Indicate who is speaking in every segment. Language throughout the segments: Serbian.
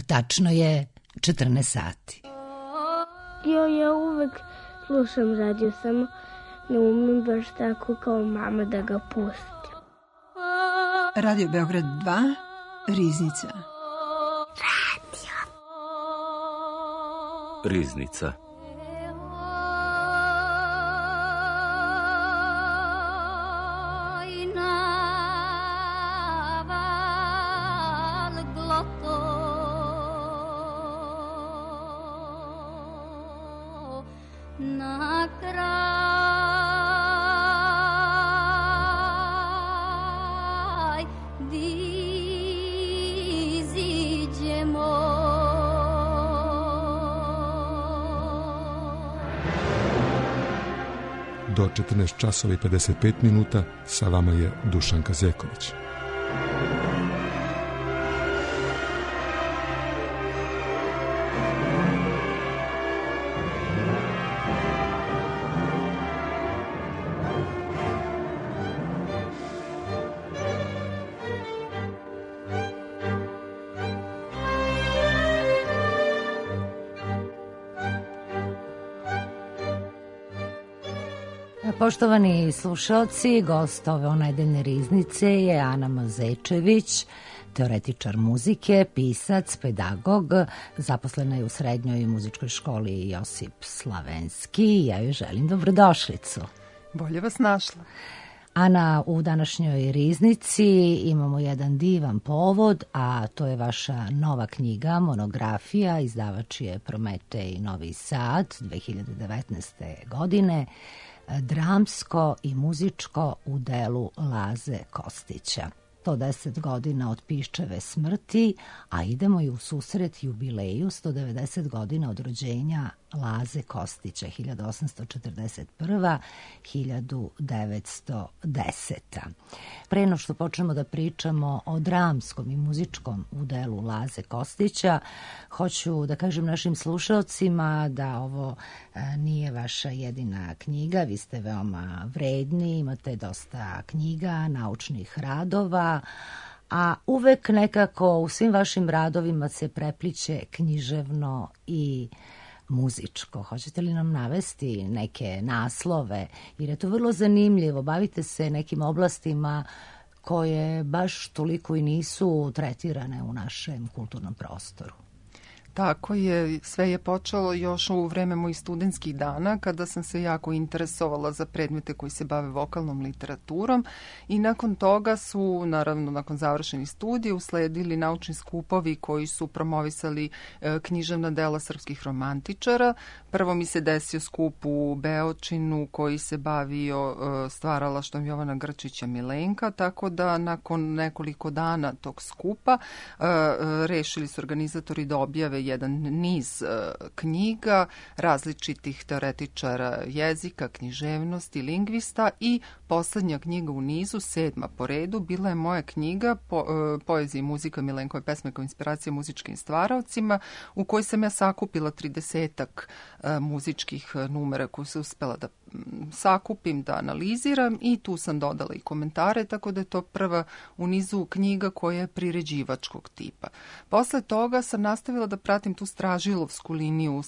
Speaker 1: Tačno je 14 sati.
Speaker 2: Ja uvek slušam radio, samo ne umem baš tako kao mama da ga pustim.
Speaker 3: Radio Beograd 2, Riznica.
Speaker 4: Riznica.
Speaker 5: Do 14 časova i 55 minuta sa vama je Dušanka Zeković.
Speaker 1: Poštovani slušalci, gost ove onedeljne riznice je Ana Mazečević, teoretičar muzike, pisac, pedagog, zaposlena je u Srednjoj muzičkoj školi Josip Slavenski i ja joj želim dobrodošlicu.
Speaker 6: Bolje vas našla.
Speaker 1: Ana, u današnjoj riznici imamo jedan divan povod, a to je vaša nova knjiga, monografija, izdavač je Prometej Novi Sad 2019. godine, dramsko i muzičko u delu Laze Kostića. 110 godina od Piščeve smrti, a idemo i u susret jubileju 190 godina od rođenja Laze Kostića, 1841-1910. Pre no što počnemo da pričamo o dramskom i muzičkom udelu Laze Kostića, hoću da kažem našim slušalcima da ovo nije vaša jedina knjiga, vi ste veoma vredni, imate dosta knjiga, naučnih radova, a uvek nekako u svim vašim radovima se prepliće književno i muzičko. Hoćete li nam navesti neke naslove? Jer je to vrlo zanimljivo. Bavite se nekim oblastima koje baš toliko i nisu tretirane u našem kulturnom prostoru.
Speaker 6: Tako je, sve je počelo još u vreme mojih studentskih dana kada sam se jako interesovala za predmete koji se bave vokalnom literaturom i nakon toga su, naravno nakon završenih studija, usledili naučni skupovi koji su promovisali književna dela srpskih romantičara. Prvo mi se desio skup u Beočinu koji se bavio stvaralaštvom Jovana Grčića Milenka, tako da nakon nekoliko dana tog skupa rešili su organizatori da objave jedan niz knjiga različitih teoretičara jezika, književnosti, lingvista i poslednja knjiga u nizu, 7. po redu, bila je moja knjiga Poezija i muzika Milenkove pesme kao inspiracija muzičkim stvaraocima, u kojoj sam ja sakupila 30-ak muzičkih numera koje se uspela da sakupim, da analiziram i tu sam dodala i komentare, tako da je to prva u nizu knjiga koja je priređivačkog tipa. Posle toga sam nastavila da pratim tu stražilovsku liniju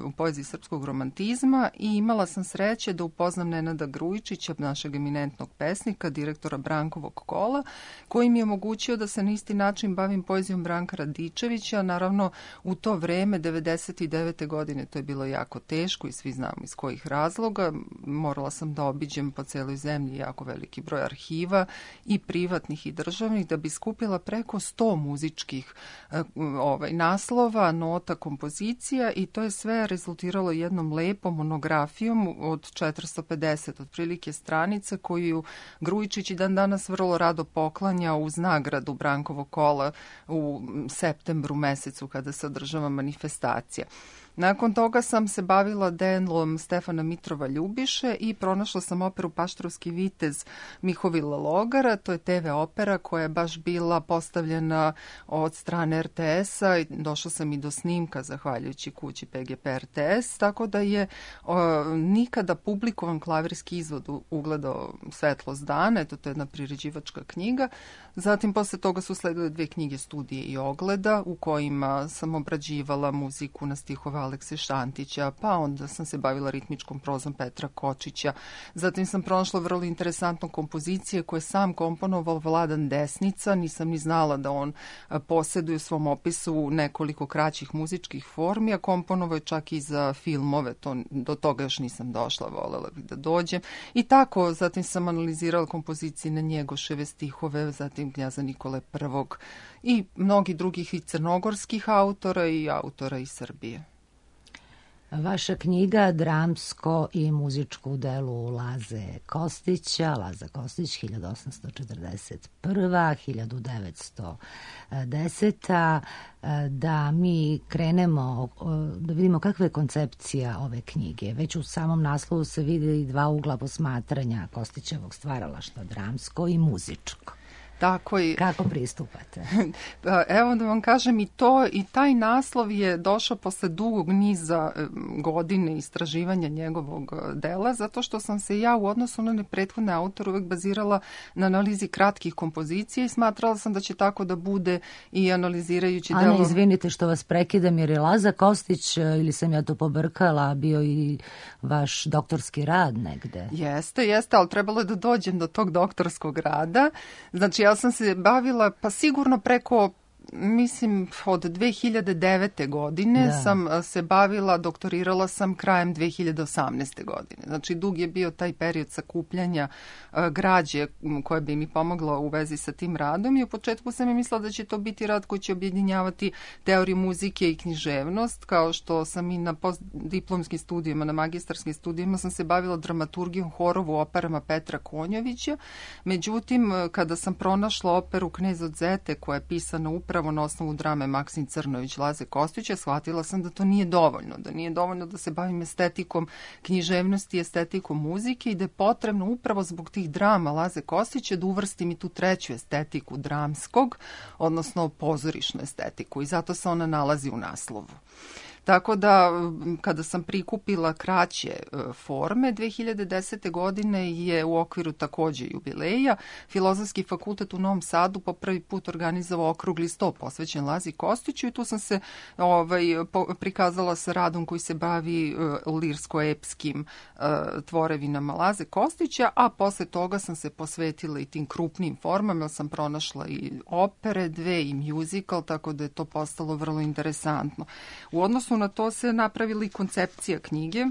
Speaker 6: u poeziji srpskog romantizma i imala sam sreće da upoznam Nenada Grujičića, našeg eminentnog pesnika, direktora Brankovog kola, koji mi je omogućio da se na isti način bavim poezijom Branka Radičevića. Naravno, u to vreme, 99. godine, to je bilo jako teško i svi znamo iz kojih razloga. Morala sam da obiđem po celoj zemlji jako veliki broj arhiva i privatnih i državnih da bi skupila preko 100 muzičkih naslova, nota, kompozicija i to je sve rezultiralo jednom lepom monografijom od 450 otprilike stranica koju Grujičić i dan danas vrlo rado poklanja uz nagradu Brankovog kola u septembru mesecu kada se održava manifestacija. Nakon toga sam se bavila delom Stefana Mitrova Ljubiše i pronašla sam operu Paštrovski vitez Mihovila Logara. To je TV opera koja je baš bila postavljena od strane RTS-a i došla sam i do snimka zahvaljujući kući PGP RTS, tako da je nikada publikovan klavirski izvod ugledao svetlost dana. Eto, to je jedna priređivačka knjiga. Zatim posle toga su sledile 2 knjige studije i ogleda u kojima sam obrađivala muziku na stihove Alekse Šantića, pa onda sam se bavila ritmičkom prozom Petra Kočića. Zatim sam pronašla vrlo interesantnu kompozicije koje sam komponovao Vladan Desnica. Nisam ni znala da on posjeduje u svom opisu nekoliko kraćih muzičkih formi, a komponovao je čak i za filmove. Do toga još nisam došla, volela bih da dođem. I tako, zatim sam analizirala kompozicije na Njegoševe stihove, zatim Knjaza Nikole I i mnogi drugih i crnogorskih autora i autora iz Srbije.
Speaker 1: Vaša knjiga Dramsko i muzičko u delu Laze Kostića, Laza Kostić 1841. 1910. Da mi krenemo, da vidimo kakva je koncepcija ove knjige. Već u samom naslovu se vidi 2 ugla posmatranja Kostićevog stvaralaštva, dramsko i muzičko.
Speaker 6: Tako i...
Speaker 1: Kako pristupate?
Speaker 6: Evo da vam kažem i taj naslov je došao posle dugog niza godine istraživanja njegovog dela, zato što sam se ja u odnosu na prethodne autore uvek bazirala na analizi kratkih kompozicija i smatrala sam da će tako da bude i analizirajući delo...
Speaker 1: Ana, izvinite što vas prekidam, jer je Laza Kostić, ili sam ja to pobrkala, bio i vaš doktorski rad negde.
Speaker 6: Jeste, ali trebalo je da dođem do tog doktorskog rada. Znači, ja sam se bavila, pa sigurno preko, mislim, od 2009. godine sam se bavila, doktorirala sam krajem 2018. godine. Znači, dug je bio taj period sakupljanja građe koja bi mi pomogla u vezi sa tim radom i u početku sam je mislila da će to biti rad koji će objedinjavati teoriju muzike i književnost, kao što sam i na postdiplomskim studijima, na magistarskim studijima sam se bavila dramaturgijom, horovu, operama Petra Konjovića. Međutim, kada sam pronašla operu Knez od Zete koja je pisana upravo na osnovu drame Maksim Crnović Laze Kostića, shvatila sam da to nije dovoljno, da nije dovoljno da se bavim estetikom književnosti, estetikom muzike i da je potrebno upravo zbog tih drama Laze Kostića da uvrstim i tu treću estetiku dramskog, odnosno pozorišnu estetiku i zato se ona nalazi u naslovu. Tako da, kada sam prikupila kraće forme, 2010. godine je u okviru takođe jubileja Filozofski fakultet u Novom Sadu po prvi put organizovao okrugli sto posvećen Lazi Kostiću i tu sam se prikazala sa radom koji se bavi lirsko-epskim tvorevinama Laze Kostića, a posle toga sam se posvetila i tim krupnim formama, jer sam pronašla i opere, 2 i musical, tako da je to postalo vrlo interesantno. U odnosu na to se napravila i koncepcija knjige.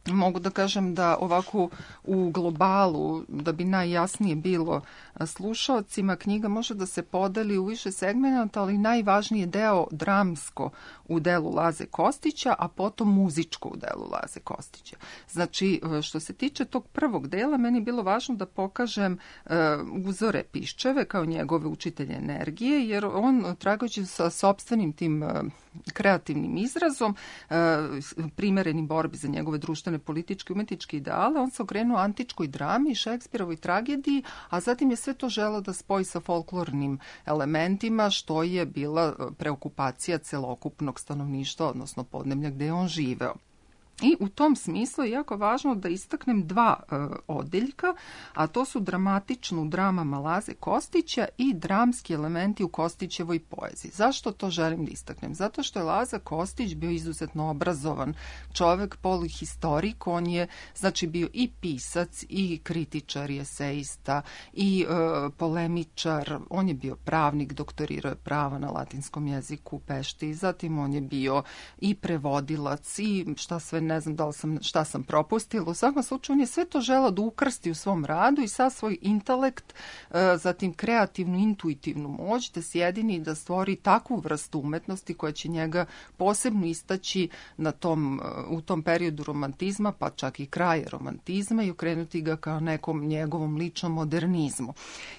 Speaker 6: Mogu da kažem da ovako u globalu, da bi najjasnije bilo slušaocima, knjiga može da se podeli u više segmenta, ali najvažniji je deo dramsko u delu Laze Kostića, a potom muzičko u delu Laze Kostića. Znači, što se tiče tog prvog dela, meni je bilo važno da pokažem uzore Piščeve kao njegove učitelje energije, jer on, tragajući sa sopstvenim tim kreativnim izrazom, primerenim borbi za njegove društvene, političke, umetničke ideale, on se okrenuo antičkoj drami, Šekspirovoj tragediji, a zatim je sve to želeo da spoji sa folklornim elementima, što je bila preokupacija celokupnog stanovništva, odnosno podneblja gde je on živeo. I u tom smislu je jako važno da istaknem 2 odeljka, a to su dramatično u dramama Laze Kostića i dramski elementi u Kostićevoj poeziji. Zašto to želim da istaknem? Zato što je Laza Kostić bio izuzetno obrazovan čovek, polihistorik, on je znači bio i pisac, i kritičar, i eseista, i polemičar, on je bio pravnik, doktorirao je prava na latinskom jeziku u Pešti, zatim on je bio i prevodilac i šta sve ne, ne znam šta sam propustila. U svakom slučaju on je sve to želeo da ukrsti u svom radu i sad svoj intelekt, zatim kreativnu, intuitivnu moć da sjedini i da stvori takvu vrstu umetnosti koja će njega posebno istaći u tom periodu romantizma, pa čak i kraje romantizma i okrenuti ga kao nekom njegovom ličnom modernizmu.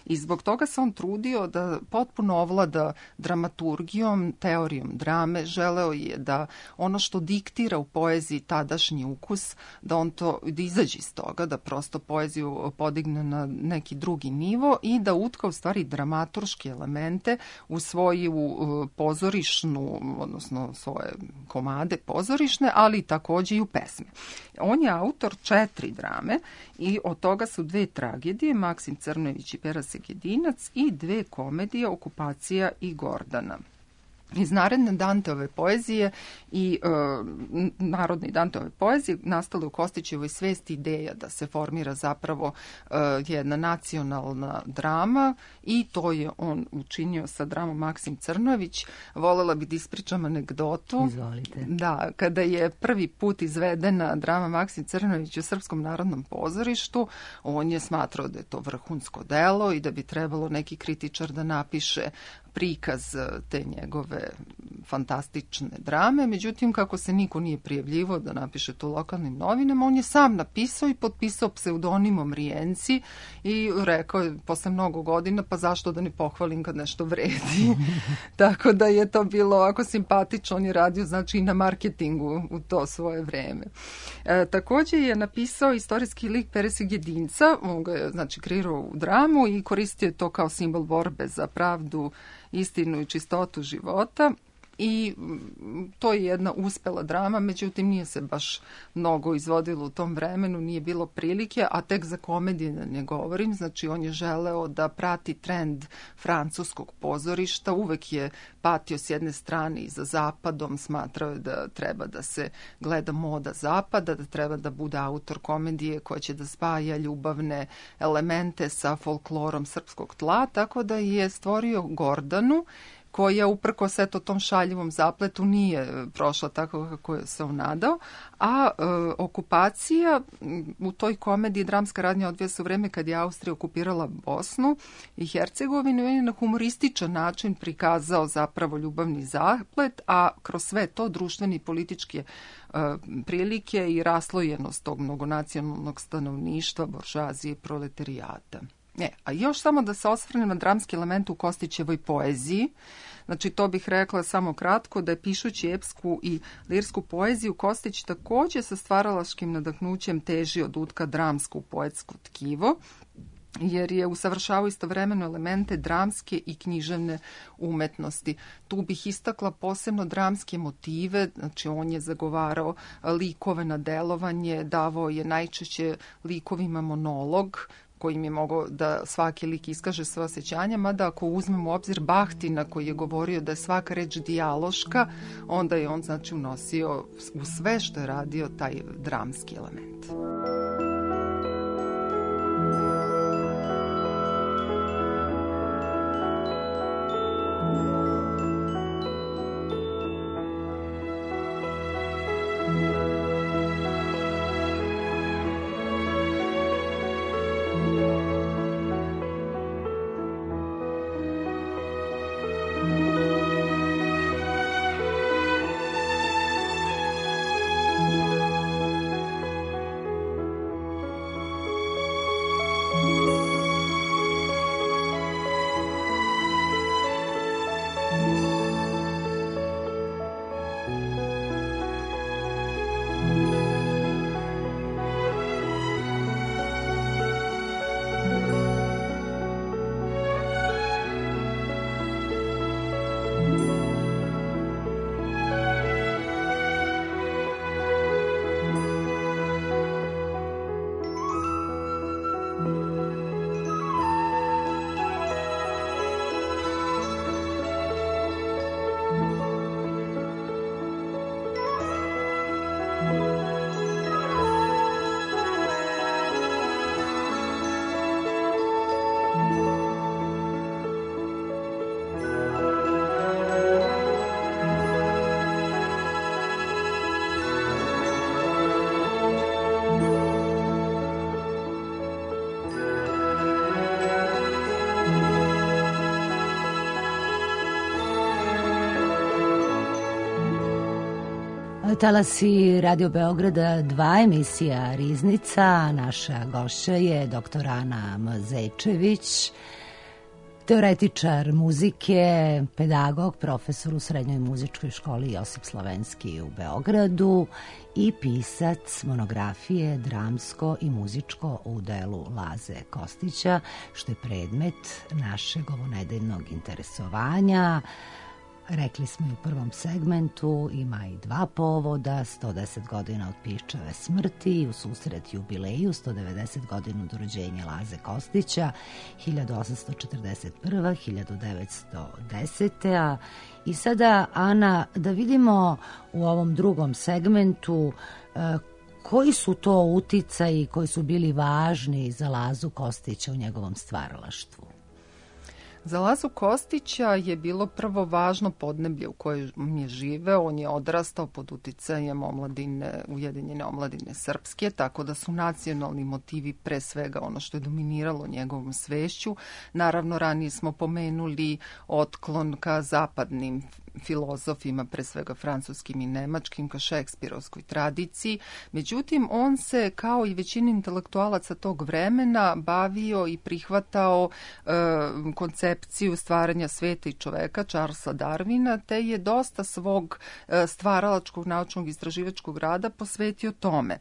Speaker 6: I zbog toga se on trudio da potpuno ovlada dramaturgijom, teorijom drame, želeo je da ono što diktira u poeziji tadašnji ukus, da on to da izađe iz toga, da prosto poeziju podigne na neki drugi nivo i da utka u stvari dramaturške elemente u svoju pozorišnu, odnosno svoje komade pozorišne, ali takođe i u pesme. On je autor 4 drame i od toga su 2 tragedije, Maksim Crnojević i Pera Segedinac, i 2 komedije, Okupacija i Gordana. Iz naredne Danteove poezije i narodne Danteove poezije nastale u Kostićevoj svesti ideja da se formira zapravo jedna nacionalna drama i to je on učinio sa dramom Maksim Crnojević. Volela bih da ispričam anegdotu.
Speaker 1: Izvolite.
Speaker 6: Da, kada je prvi put izvedena drama Maksim Crnojević u Srpskom narodnom pozorištu, on je smatrao da je to vrhunsko delo i da bi trebalo neki kritičar da napiše prikaz te njegove fantastične drame. Međutim, kako se niko nije prijavljivao da napiše to u lokalnim novinama, on je sam napisao i potpisao pseudonimom Rijenci i rekao je posle mnogo godina, pa zašto da ne pohvalim kad nešto vredi. Tako da je to bilo ovako simpatično. On je radio znači i na marketingu u to svoje vreme. Takođe je napisao istorijski lik Pere Segedinca, on ga je znači kreirao u dramu i koristio je to kao simbol borbe za pravdu, istinu i čistotu života. I to je jedna uspela drama, međutim nije se baš mnogo izvodilo u tom vremenu, nije bilo prilike, a tek za komedije da ne govorim, znači on je želeo da prati trend francuskog pozorišta, uvek je patio s jedne strane i za zapadom, smatrao je da treba da se gleda moda zapada, da treba da bude autor komedije koja će da spaja ljubavne elemente sa folklorom srpskog tla, tako da je stvorio Gordanu, koja uprkos eto tom šaljivom zapletu nije prošla tako kako je se on nadao, a okupacija u toj komediji dramska radnja odvija se u vreme kad je Austrija okupirala Bosnu i Hercegovinu i on je na humorističan način prikazao zapravo ljubavni zaplet, a kroz sve to društveni i političke prilike i raslojenost tog mnogonacionalnog stanovništva, buržoazije i proletarijata. A još samo da se osvrnem na dramski element u Kostićevoj poeziji. Znači, to bih rekla samo kratko, da je pišući epsku i lirsku poeziju, Kostić takođe sa stvaralačkim nadahnućem teži od utka dramsku poetsko tkivo, jer je usavršavao istovremeno elemente dramske i književne umetnosti. Tu bih istakla posebno dramske motive, znači on je zagovarao likove na delovanje, davao je najčešće likovima monolog, kojim je mogao da svaki lik iskaže svoje osjećanja, mada ako uzmemo u obzir Bahtina koji je govorio da je svaka reč dijaloška, onda je on znači unosio u sve što je radio taj dramski element.
Speaker 1: Talasi Radio Beograda 2, emisija Riznica. Naša gošća je dr. Ana M. Zečević, teoretičar muzike, pedagog, profesor u Srednjoj muzičkoj školi Josip Slovenski u Beogradu i pisac monografije Dramsko i muzičko u delu Laze Kostića, što je predmet našeg ovonedeljnog interesovanja. Rekli smo i u prvom segmentu, ima i dva povoda, 110 godina od Piščeve smrti i u susret jubileju 190 godina od rođenja Laze Kostića, 1841-1910. I sada, Ana, da vidimo u ovom drugom segmentu koji su to uticaji koji su bili važni za Lazu Kostića u njegovom stvaralaštvu.
Speaker 6: Za Lazu Kostića je bilo prvo važno podneblje u kojem je živeo. On je odrastao pod uticajem Ujedinjene omladine srpske, tako da su nacionalni motivi pre svega ono što je dominiralo njegovom svešću. Naravno, ranije smo pomenuli otklon ka zapadnim filozofima, pre svega francuskim i nemačkim, ka šekspirovskoj tradiciji. Međutim, on se, kao i većina intelektualaca tog vremena, bavio i prihvatao koncepciju stvaranja sveta i čoveka, Charlesa Darwina, te je dosta svog stvaralačkog, naučnog, istraživačkog rada posvetio tome.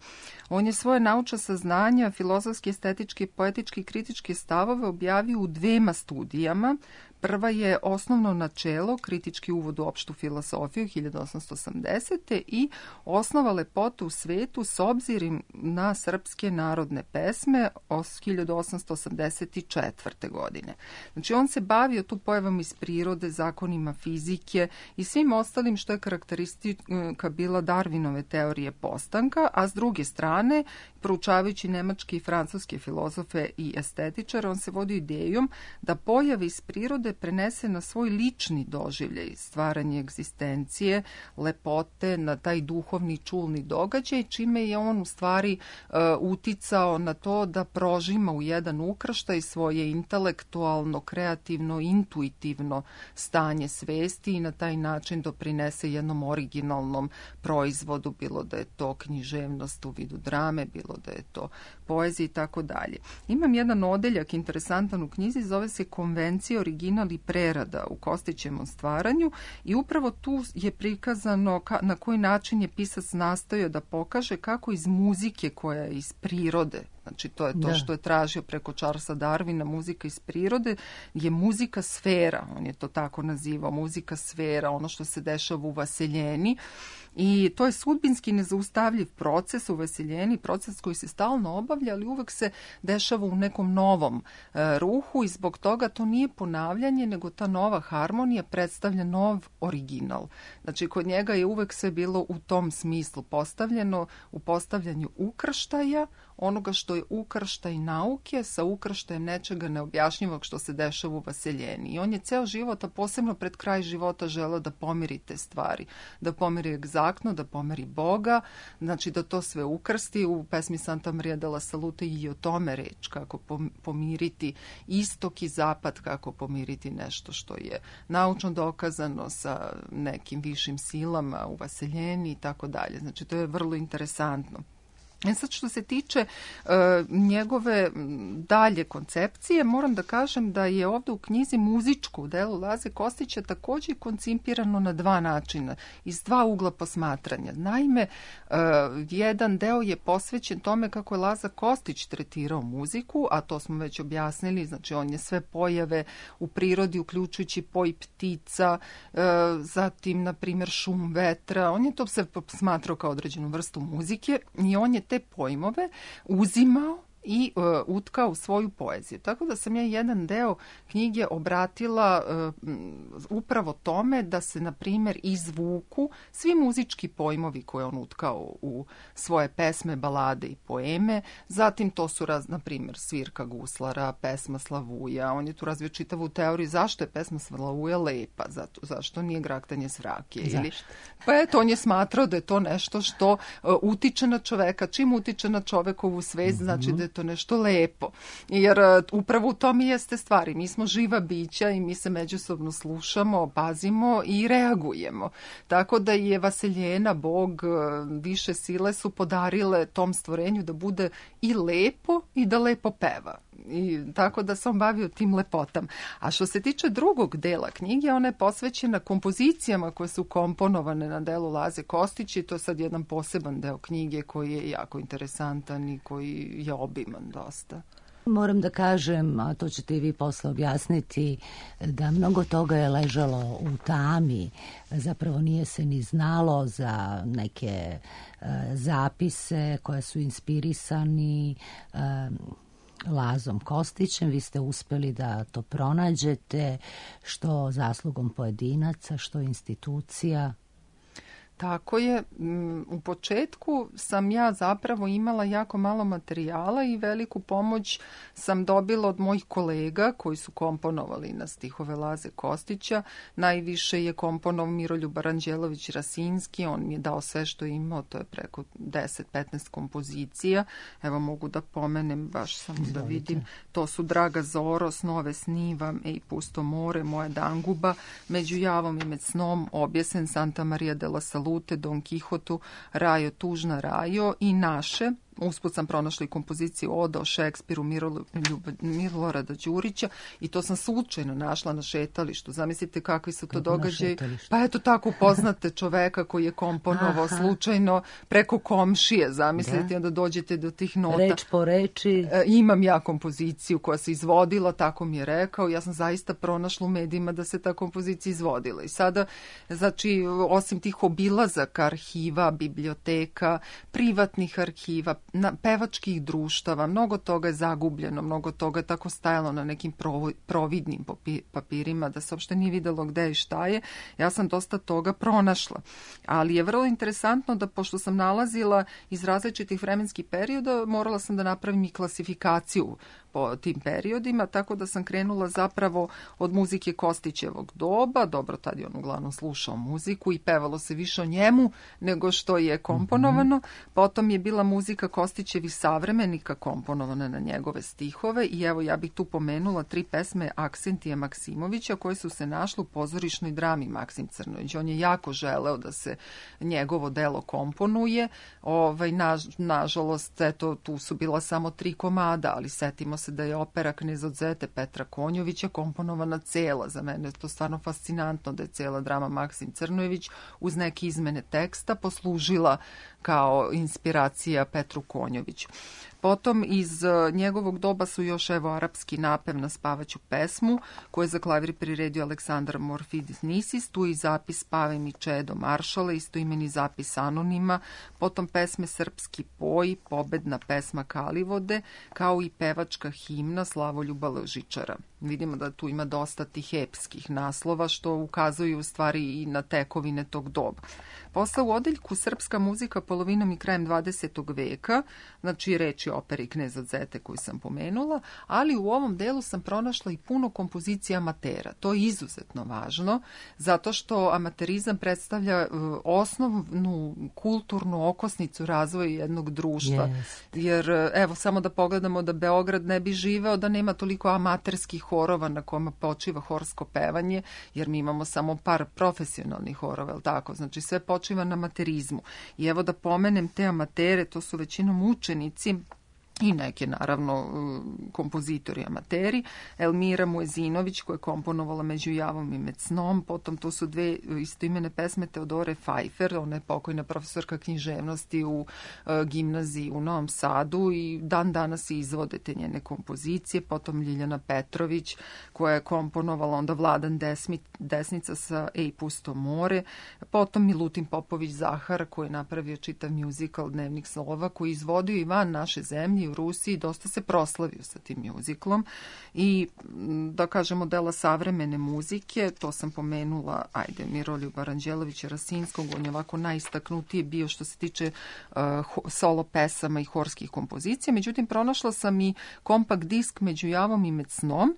Speaker 6: On je svoje naučna saznanja, filozofske, estetičke, poetičke i kritičke stavove objavio u 2 studijama. Prva je Osnovno načelo, kritički uvod u opštu filosofiju 1880. i Osnova lepote u svetu s obzirom na srpske narodne pesme 1884. godine. Znači, on se bavio tu pojavom iz prirode, zakonima fizike i svim ostalim što je karakteristika bila Darwinove teorije postanka, a s druge strane, proučavajući nemačke i francuske filozofe i estetičare, on se vodio idejom da pojave iz prirode prenese na svoj lični doživljaj, stvaranje egzistencije, lepote, na taj duhovni čulni događaj, čime je on u stvari uticao na to da prožima u jedan ukrštaj svoje intelektualno, kreativno, intuitivno stanje svesti i na taj način doprinese jednom originalnom proizvodu, bilo da je to književnost u vidu drame, bilo da je to poezija i tako dalje. Imam jedan odeljak interesantan u knjizi, zove se Konvencija, original i prerada u Kostićevom stvaranju i upravo tu je prikazano na koji način je pisac nastojao da pokaže kako iz muzike koja je iz prirode, znači to je to što je tražio preko Charlesa Darwina, muzika iz prirode, je muzika sfera, on je to tako nazivao, muzika sfera, ono što se dešava u vaseljeni. I to je sudbinski nezaustavljiv proces u vaseljeni, proces koji se stalno obavlja, ali uvek se dešava u nekom novom ruhu i zbog toga to nije ponavljanje, nego ta nova harmonija predstavlja nov original. Znači, kod njega je uvek sve bilo u tom smislu postavljeno, u postavljanju ukrštaja, onoga što je ukrštaj nauke sa ukrštajem nečega neobjašnjivog što se dešava u vaseljeni. I on je ceo život, a posebno pred kraj života, želeo da pomiri te stvari, da pomiri egzaktno, da pomiri Boga, znači da to sve ukrsti. U pesmi Santa Maria della Salute i o tome reč, kako pomiriti istok i zapad, kako pomiriti nešto što je naučno dokazano sa nekim višim silama u vaseljeni i tako dalje. Znači, to je vrlo interesantno. Sad, što se tiče njegove dalje koncepcije, moram da kažem da je ovde u knjizi muzičko u delu Laze Kostića takođe koncipirano na 2 načina, iz 2 ugla posmatranja. Naime, jedan deo je posvećen tome kako je Laza Kostić tretirao muziku, a to smo već objasnili, znači on je sve pojave u prirodi, uključujući poj ptica, zatim, na primjer, šum vetra, on je to sve smatrao kao određenu vrstu muzike i on je te pojmove uzimao i utkao u svoju poeziju. Tako da sam ja jedan deo knjige obratila upravo tome da se, na primjer, izvuku svi muzički pojmovi koje on utkao u svoje pesme, balade i poeme. Zatim to su, na primjer, svirka guslara, pesma Slavuja. On je tu razvio čitavu teoriju zašto je pesma Slavuja lepa, zašto nije graktanje svrake. Ili, pa eto, on je smatrao da je to nešto što utiče na čoveka. Čim utiče na čovekovu svest, znači da je to nešto lepo. Jer upravo u tom i jeste stvari. Mi smo živa bića i mi se međusobno slušamo, pazimo i reagujemo. Tako da je Vaseljena, Bog, više sile su podarile tom stvorenju da bude i lepo i da lepo peva. I tako da sam bavio tim lepotama. A što se tiče drugog dela knjige, ona je posvećena kompozicijama koje su komponovane na delu Laze Kostića i to je sad jedan poseban deo knjige koji je jako interesantan i koji je obiman dosta.
Speaker 1: Moram da kažem, a to ćete i vi posle objasniti, da mnogo toga je ležalo u tami, zapravo nije se ni znalo za neke zapise koje su inspirisani Lazom Kostićem. Vi ste uspeli da to pronađete, što zaslugom pojedinaca, što institucija.
Speaker 6: Tako je. U početku sam ja zapravo imala jako malo materijala i veliku pomoć sam dobila od mojih kolega koji su komponovali na stihove Laze Kostića. Najviše je komponovao Miroljub Aranđelović-Rasinski, on mi je dao sve što je imao, to je preko 10-15 kompozicija. Evo mogu da pomenem, baš samo da vidim. To su Draga Zoro, Snove snivam, Ej pusto more, Moja danguba, Među javom i med snom, Objesen, Santa Maria della Salute, Don Kihotu, Rajo, tužna Rajo i naše. Usput sam pronašla i kompoziciju Oda o Šekspiru Milorada Đurića i to sam slučajno našla na šetalištu. Zamislite kakvi su to događaji. Pa eto tako upoznate čoveka koji je komponovao slučajno preko komšije. Zamislite, onda dođete do tih nota.
Speaker 1: Reč po reči.
Speaker 6: Imam ja kompoziciju koja se izvodila, tako mi je rekao. Ja sam zaista pronašla u medijima da se ta kompozicija izvodila. I sada, znači, osim tih obilazaka arhiva, biblioteka, privatnih arhiva, pevačkih društava, mnogo toga je zagubljeno, mnogo toga je tako stajalo na nekim providnim papirima da se uopšte nije videlo gde i šta je. Ja sam dosta toga pronašla. Ali je vrlo interesantno da, pošto sam nalazila iz različitih vremenskih perioda, morala sam da napravim i klasifikaciju po tim periodima, tako da sam krenula zapravo od muzike Kostićevog doba. Dobro, tad je on uglavnom slušao muziku i pevalo se više o njemu nego što je komponovano. Potom je bila muzika Kostićevih savremenika komponovana na njegove stihove i evo ja bih tu pomenula 3 pesme Aksentija Maksimovića koje su se našle u pozorišnoj drami Maksim Crnović. On je jako želeo da se njegovo delo komponuje. Nažalost, eto, tu su bila samo 3 komada, ali setimo se da je opera Knez od Zete Petra Konjovića komponovana cela. Za mene je to stvarno fascinantno da je cela drama Maksim Crnojević uz neke izmene teksta poslužila kao inspiracija Petru Konjoviću. Potom iz njegovog doba su još evo arapski napev na spavaću pesmu koju je za klavir priredio Aleksandar Morfidis Nisis, tu i zapis Spave mi čedo Maršale, istoimeni zapis Anonima, potom pesme Srpski poj, pobedna pesma Kalivode, kao i pevačka himna Slavoljuba Ležičara. Vidimo da tu ima dosta tih epskih naslova što ukazuju u stvari i na tekovine tog doba. Posle u odeljku Srpska muzika polovinom i krajem 20. veka, znači reči operi Knez od Zete koju sam pomenula, ali u ovom delu sam pronašla i puno kompozicija amatera. To je izuzetno važno, zato što amaterizam predstavlja osnovnu kulturnu okosnicu razvoja jednog društva. Jer evo samo da pogledamo da Beograd ne bi živeo da nema toliko amaterskih horova na kojima počiva horsko pevanje, jer mi imamo samo par profesionalnih horova, je tako? Znači sve počiva na amaterizmu. I evo da pomenem te amatere, to su većinom učenici i neke, naravno, kompozitori amateri. Elmira Muezinović koja je komponovala Među javom i med snom, potom to su 2 istoimene pesme Teodore Pfeiffer, ona je pokojna profesorka književnosti u gimnaziji u Novom Sadu i dan danas izvode te njene kompozicije, potom Ljiljana Petrović koja je komponovala onda Vladan Desnica sa Ej pusto more, potom Milutin Popović Zahara koji je napravio čitav muzikal Dnevnik slova koji je izvodio i van naše zemlje u Rusiji, dosta se proslavio sa tim mjuziklom i da kažemo dela savremene muzike, to sam pomenula, Miroljuba Aranđelovića Rasinskog, on je ovako najistaknutiji bio što se tiče solo pesama i horskih kompozicija, međutim pronašla sam i kompakt disk Među javom i med snom.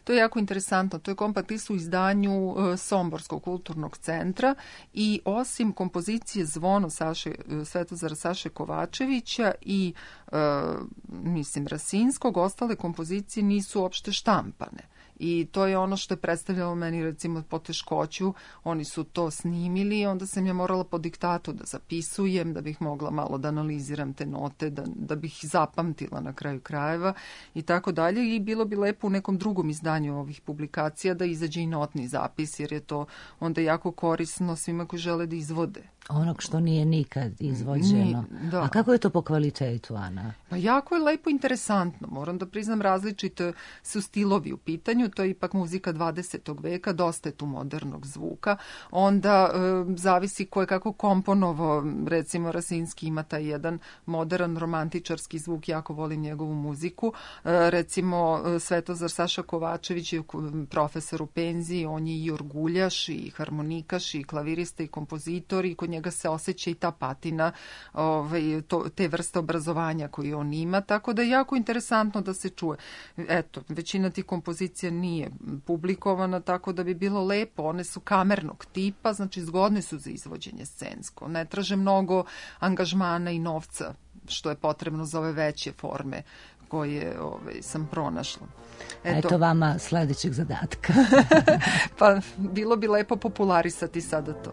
Speaker 6: To je jako interesantno. To je kompakt disk u izdanju Somborskog kulturnog centra i osim kompozicije Zvono Svetozara Saše Kovačevića i mislim Rasinskog, ostale kompozicije nisu uopšte štampane. I to je ono što je predstavljalo meni recimo poteškoću. Oni su to snimili i onda sam ja morala po diktatu da zapisujem, da bih mogla malo da analiziram te note, da bih zapamtila na kraju krajeva i tako dalje. I bilo bi lepo u nekom drugom izdanju ovih publikacija da izađe i notni zapis, jer je to onda jako korisno svima koji žele da izvode.
Speaker 1: Onog što nije nikad izvođeno.
Speaker 6: Da.
Speaker 1: A kako je to po kvalitetu, Ana?
Speaker 6: Pa jako je lepo interesantno. Moram da priznam, različite su stilovi u pitanju. To je ipak muzika 20. veka, dosta je tu modernog zvuka. Onda zavisi ko je kako komponovao. Recimo Rasinski ima taj jedan modern romantičarski zvuk, jako volim njegovu muziku. Recimo Svetozar Saša Kovačević je profesor u penziji, on je i orguljaš i harmonikaš i klavirista i kompozitor i kod njega se osjeća i ta patina te vrste obrazovanja koju on ima, tako da je jako interesantno da se čuje. Eto, većina tih kompozicija nije publikovana, tako da bi bilo lepo. One su kamernog tipa, znači zgodne su za izvođenje scensko. Ne traže mnogo angažmana i novca, što je potrebno za ove veće forme koje sam pronašla.
Speaker 1: Eto vama sledećeg zadatka.
Speaker 6: Pa bilo bi lepo popularisati sada to.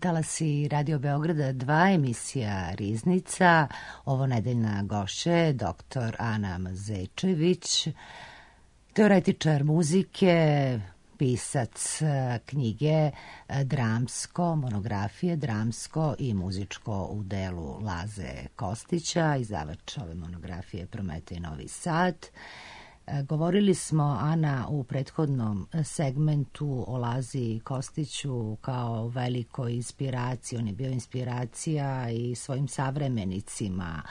Speaker 1: Talasi Radio Beograda 2, emisija Riznica. Ovo nedeljna gošća je dr. Ana Mazečević, teoretičar muzike, pisac knjige dramsko, monografije dramsko i muzičko u delu Laze Kostića, izdavač ove monografije Prometej Novi Sad. Govorili smo, Ana, u prethodnom segmentu o Lazi Kostiću kao velikoj inspiraciji. On je bio inspiracija i svojim savremenicima,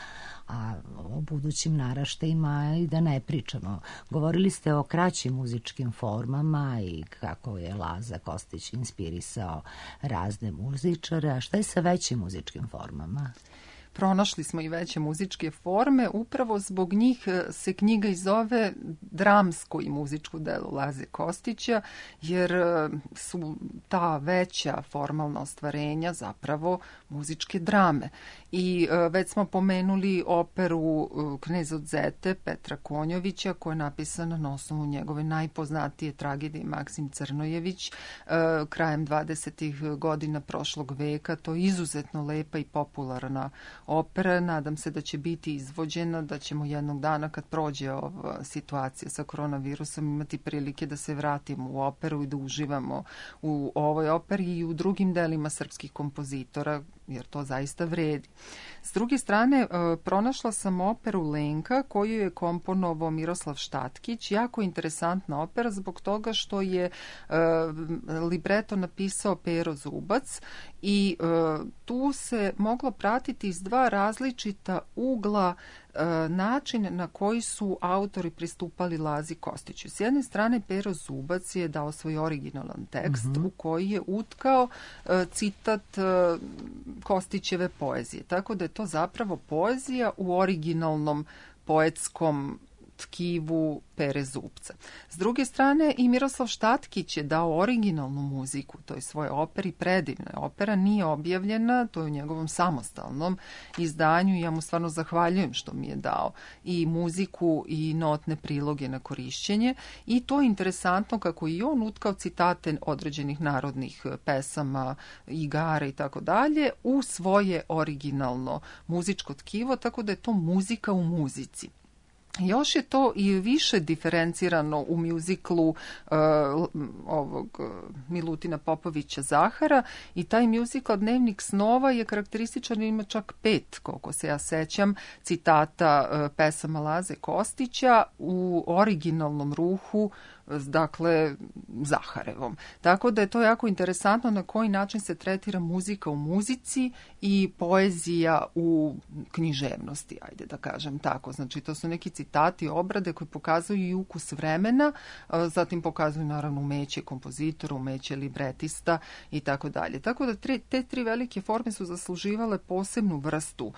Speaker 1: a o budućim naraštajima i da ne pričamo. Govorili ste o kraćim muzičkim formama i kako je Laza Kostić inspirisao razne muzičare. A šta je sa većim muzičkim formama?
Speaker 6: pronašli smo i veće muzičke forme. Upravo zbog njih se knjiga i zove Dramsko i muzičko delo Laze Kostića, jer su ta veća formalna ostvarenja zapravo muzičke drame. I već smo pomenuli operu Knez od Zete Petra Konjovića, koja je napisana na osnovu njegove najpoznatije tragedije Maksim Crnojević krajem 20. godina prošlog veka. To je izuzetno lepa i popularna opera. Nadam se da će biti izvođena, da ćemo jednog dana kad prođe ova situacija sa koronavirusom imati prilike da se vratimo u operu i da uživamo u ovoj operi i u drugim delima srpskih kompozitora, jer to zaista vredi. S druge strane, pronašla sam operu Lenka, koju je komponovao Miroslav Štatkić. Jako interesantna opera zbog toga što je libreto napisao Pero Zubac i tu se moglo pratiti iz dva različita ugla način na koji su autori pristupali Lazi Kostiću. S jedne strane, Pero Zubac je dao svoj originalan tekst u koji je utkao citat Kostićeve poezije. Tako da je to zapravo poezija u originalnom poetskom tkivu Pere Zubca. S druge strane, i Miroslav Štatkić je dao originalnu muziku toj svoje operi, predivna opera, nije objavljena, to je u njegovom samostalnom izdanju i ja mu stvarno zahvaljujem što mi je dao i muziku i notne priloge na korišćenje i to je interesantno kako i on utkao citate određenih narodnih pesama, igara i tako dalje u svoje originalno muzičko tkivo, tako da je to muzika u muzici. Još je to i više diferencirano u mjuziklu ovog Milutina Popovića Zahara i taj mjuzikl Dnevnik snova je karakterističan, ima čak 5, koliko se ja sećam, citata pesama Laze Kostića u originalnom ruhu, dakle Zaharevom. Tako da je to jako interesantno na koji način se tretira muzika u muzici i poezija u književnosti, ajde da kažem tako. Znači to su neki citati, obrade koji pokazuju i ukus vremena, zatim pokazuju naravno umeće kompozitora, umeće libretista i tako dalje. Tako da te tri velike forme su zasluživale posebnu vrstu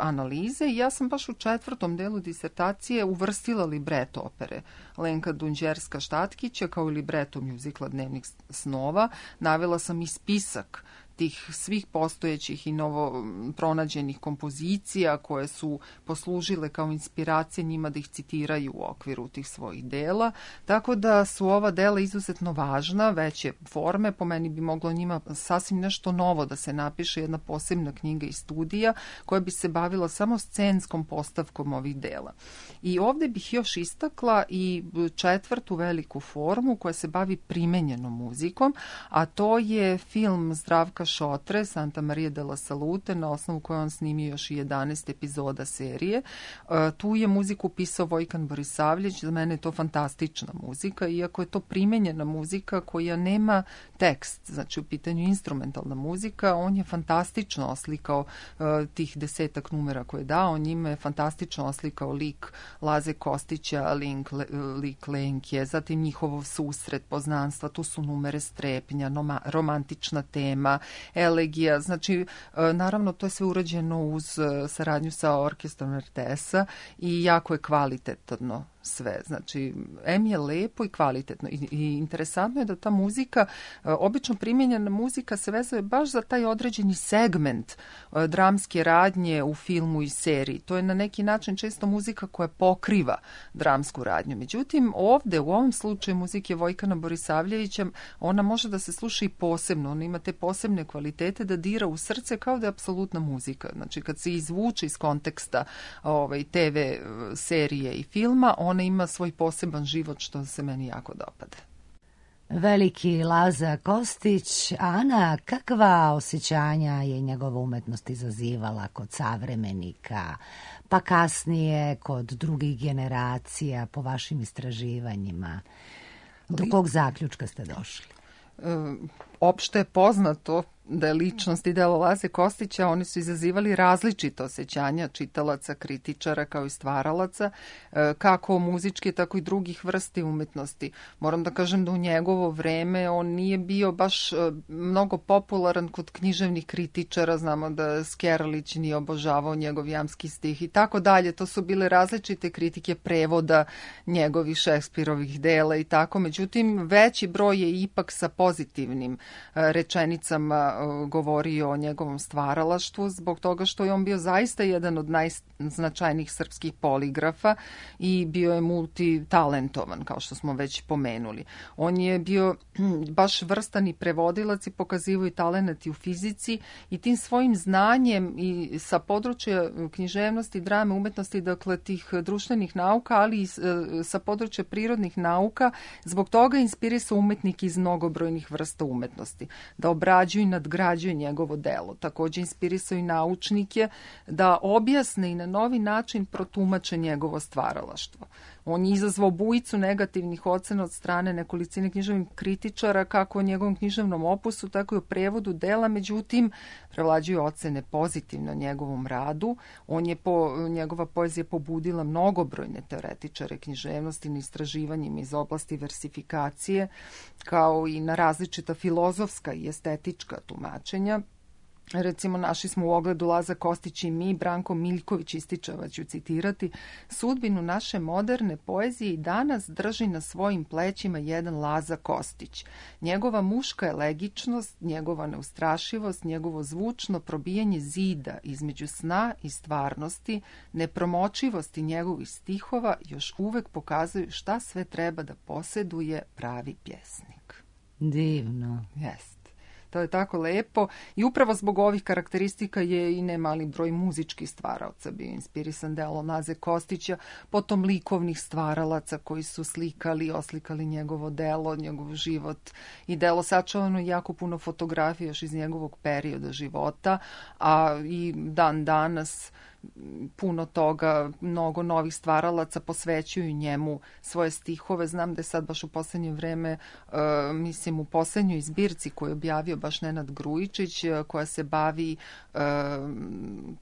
Speaker 6: analize i ja sam baš u 4. delu disertacije uvrstila libreto opere Lenka Dunđerska Štatkića kao i libreto mjuzikla Dnevnik snova. Navela sam i spisak tih svih postojećih i novo pronađenih kompozicija koje su poslužile kao inspiracije njima da ih citiraju u okviru tih svojih dela. Tako da su ova dela izuzetno važna, veće forme. Po meni bi moglo njima sasvim nešto novo da se napiše, jedna posebna knjiga i studija koja bi se bavila samo scenskom postavkom ovih dela. I ovde bih još istakla i 4. veliku formu koja se bavi primenjenom muzikom, a to je film Zdravka Šotre, Santa Maria della Salute, na osnovu koje on snimio još i 11 epizoda serije. Tu je muziku pisao Vojkan Borisavljević, za mene je to fantastična muzika, iako je to primenjena muzika koja nema tekst, znači u pitanju instrumentalna muzika, on je fantastično oslikao tih 10 numera koje je dao, njima je fantastično oslikao lik Laze Kostića, lik Lenke, zatim njihov susret, poznanstva, tu su numere strepnja, romantična tema, elegija, znači naravno to je sve urađeno uz saradnju sa orkestrom RTS-a i jako je kvalitetno sve. Znači, je lepo i kvalitetno i interesantno je da ta muzika, obično primjenjena muzika se vezuje baš za taj određeni segment dramske radnje u filmu i seriji. To je na neki način često muzika koja pokriva dramsku radnju. Međutim, ovde u ovom slučaju muzike Vojkana Borisavljevića, ona može da se sluša i posebno. Ona ima te posebne kvalitete da dira u srce kao da je apsolutna muzika. Znači, kad se izvuče iz konteksta TV serije i filma, ona ima svoj poseban život, što se meni jako dopada.
Speaker 1: Veliki Laza Kostić. Ana, kakva osjećanja je njegova umetnost izazivala kod savremenika, pa kasnije kod drugih generacija, po vašim istraživanjima? Do kog zaključka ste došli?
Speaker 6: Opšte je poznato da je ličnost i delo Laze Kostića, oni su izazivali različite osjećanja čitalaca, kritičara kao i stvaralaca, kako muzičke, tako i drugih vrsti umetnosti. Moram da kažem da u njegovo vreme on nije bio baš mnogo popularan kod književnih kritičara, znamo da Skeralić nije obožavao njegov jamski stih i tako dalje. To su bile različite kritike prevoda njegovih Šekspirovih dela i tako. Međutim, veći broj je ipak sa pozitivnim rečenicama govorio o njegovom stvaralaštvu, zbog toga što je on bio zaista jedan od najznačajnijih srpskih poligrafa i bio je multitalentovan, kao što smo već pomenuli. On je bio baš vrstan i prevodilac i pokazivao i talenat i u fizici i tim svojim znanjem i sa područja književnosti, drame, umetnosti, dakle tih društvenih nauka, ali i sa područja prirodnih nauka, zbog toga inspirisao umetnike iz mnogobrojnih vrsta umetnosti, da obrađuju i nadgrađuju njegovo delo. Takođe inspirisao i naučnike da objasne i na novi način protumače njegovo stvaralaštvo. On je izazvao bujicu negativnih ocena od strane nekolicine književnih kritičara, kako o njegovom književnom opusu, tako i o prevodu dela, međutim, prevlađuju ocene pozitivno o njegovom radu. Njegova poezija pobudila mnogobrojne teoretičare književnosti na istraživanjima iz oblasti versifikacije, kao i na različita filozofska i estetička tumačenja. Recimo, našli smo u ogledu Laza Kostić i mi, Branko Miljković ističe, ću citirati, sudbinu naše moderne poezije i danas drži na svojim plećima jedan Laza Kostić. Njegova muška elegičnost, njegova neustrašivost, njegovo zvučno probijanje zida između sna i stvarnosti, nepromočivosti njegovih stihova još uvek pokazuju šta sve treba da poseduje pravi pjesnik.
Speaker 1: Divno.
Speaker 6: Jest. To je tako lepo i upravo zbog ovih karakteristika je i nemali broj muzičkih stvaraoca bio inspirisan delom Laze Kostića, potom likovnih stvaralaca koji su slikali, oslikali njegovo delo, njegov život i delo. Sačuvano jako puno fotografija još iz njegovog perioda života, a i dan danas puno toga, mnogo novih stvaralaca posvećuju njemu svoje stihove. Znam da je sad baš u poslednje vreme, mislim u poslednjoj zbirci koju je objavio baš Nenad Grujičić, koja se bavi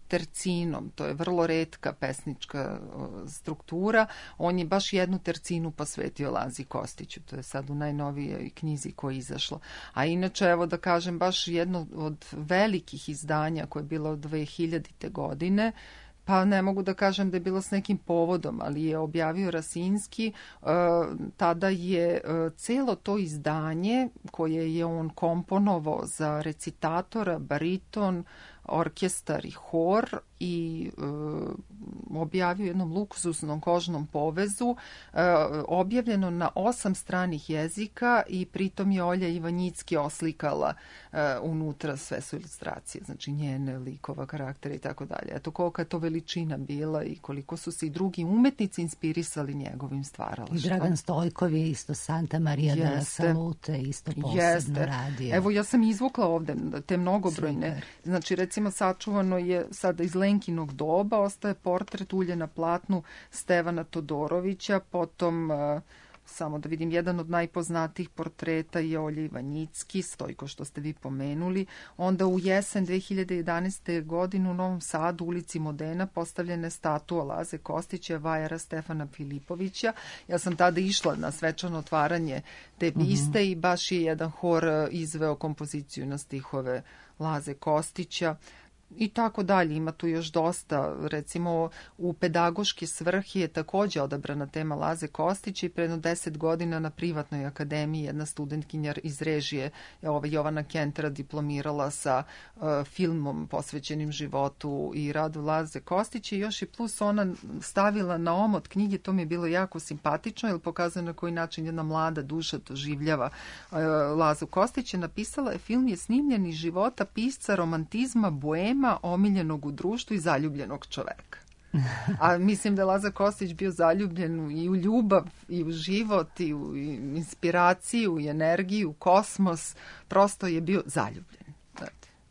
Speaker 6: tercinom. To je vrlo retka pesnička struktura. On je baš jednu tercinu posvetio Lazi Kostiću. To je sad u najnovijoj knjizi koja je izašla. A inače, evo da kažem, baš jedno od velikih izdanja koje je bilo od 2000. godine, pa ne mogu da kažem da je bilo s nekim povodom, ali je objavio Rasinski. Tada je celo to izdanje koje je on komponovao za recitatora, bariton, orkestar i hor i objavio jednom luksuznom kožnom povezu, objavljeno na 8 stranih jezika i pritom je Olja Ivanjicki oslikala unutra, sve su ilustracije, znači njene, likova, karaktera i tako dalje. Eto kolika je to veličina bila i koliko su se i drugi umetnici inspirisali njegovim stvaralaštvom.
Speaker 1: I Dragan Stojkov je isto Santa Maria de la Salute isto posebno radio.
Speaker 6: Evo ja sam izvukla ovde te mnogobrojne. Super. Znači recimo sačuvano je sada iz Lenkinog doba, ostaje portret ulje na platnu Stevana Todorovića, potom samo da vidim, jedan od najpoznatijih portreta je Olja Ivanjicki, Stojko što ste vi pomenuli. Onda u jesen 2011. godine u Novom Sadu, ulici Modena, postavljena je statua Laze Kostića, vajara Stefana Filipovića. Ja sam tada išla na svečano otvaranje te biste i baš je jedan hor izveo kompoziciju na stihove Laze Kostića. I tako dalje, ima tu još dosta. Recimo u pedagoške svrhe je takođe odabrana tema Laze Kostića i pre 10 godina na privatnoj akademiji jedna studentkinja iz režije, Jovana Kentera, diplomirala sa filmom posvećenim životu i radu Laze Kostića i još i plus ona stavila na omot knjige, to mi je bilo jako simpatično jer pokazuje na koji način jedna mlada duša doživljava Lazu Kostića. Napisala je: film je snimljen iz života pisca romantizma, boema, omiljenog u društvu i zaljubljenog čoveka. A mislim da je Laza Kostić bio zaljubljen i u ljubav, i u život, i u inspiraciju, i energiju, u kosmos. Prosto je bio zaljubljen.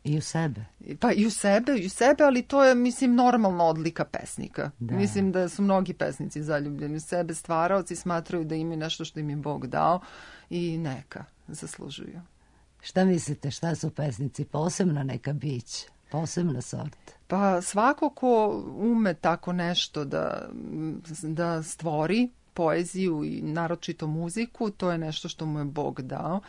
Speaker 1: I u sebe.
Speaker 6: Pa i u sebe, ali to je, mislim, normalna odlika pesnika. Da. Mislim da su mnogi pesnici zaljubljeni u sebe, stvaraoci smatraju da imaju nešto što im je Bog dao i neka zaslužuju.
Speaker 1: Šta mislite, šta su pesnici? Posebna neka bića, posebna sorta?
Speaker 6: Pa svako ko ume tako nešto da stvori, poeziju i naročito muziku, to je nešto što mu je Bog dao.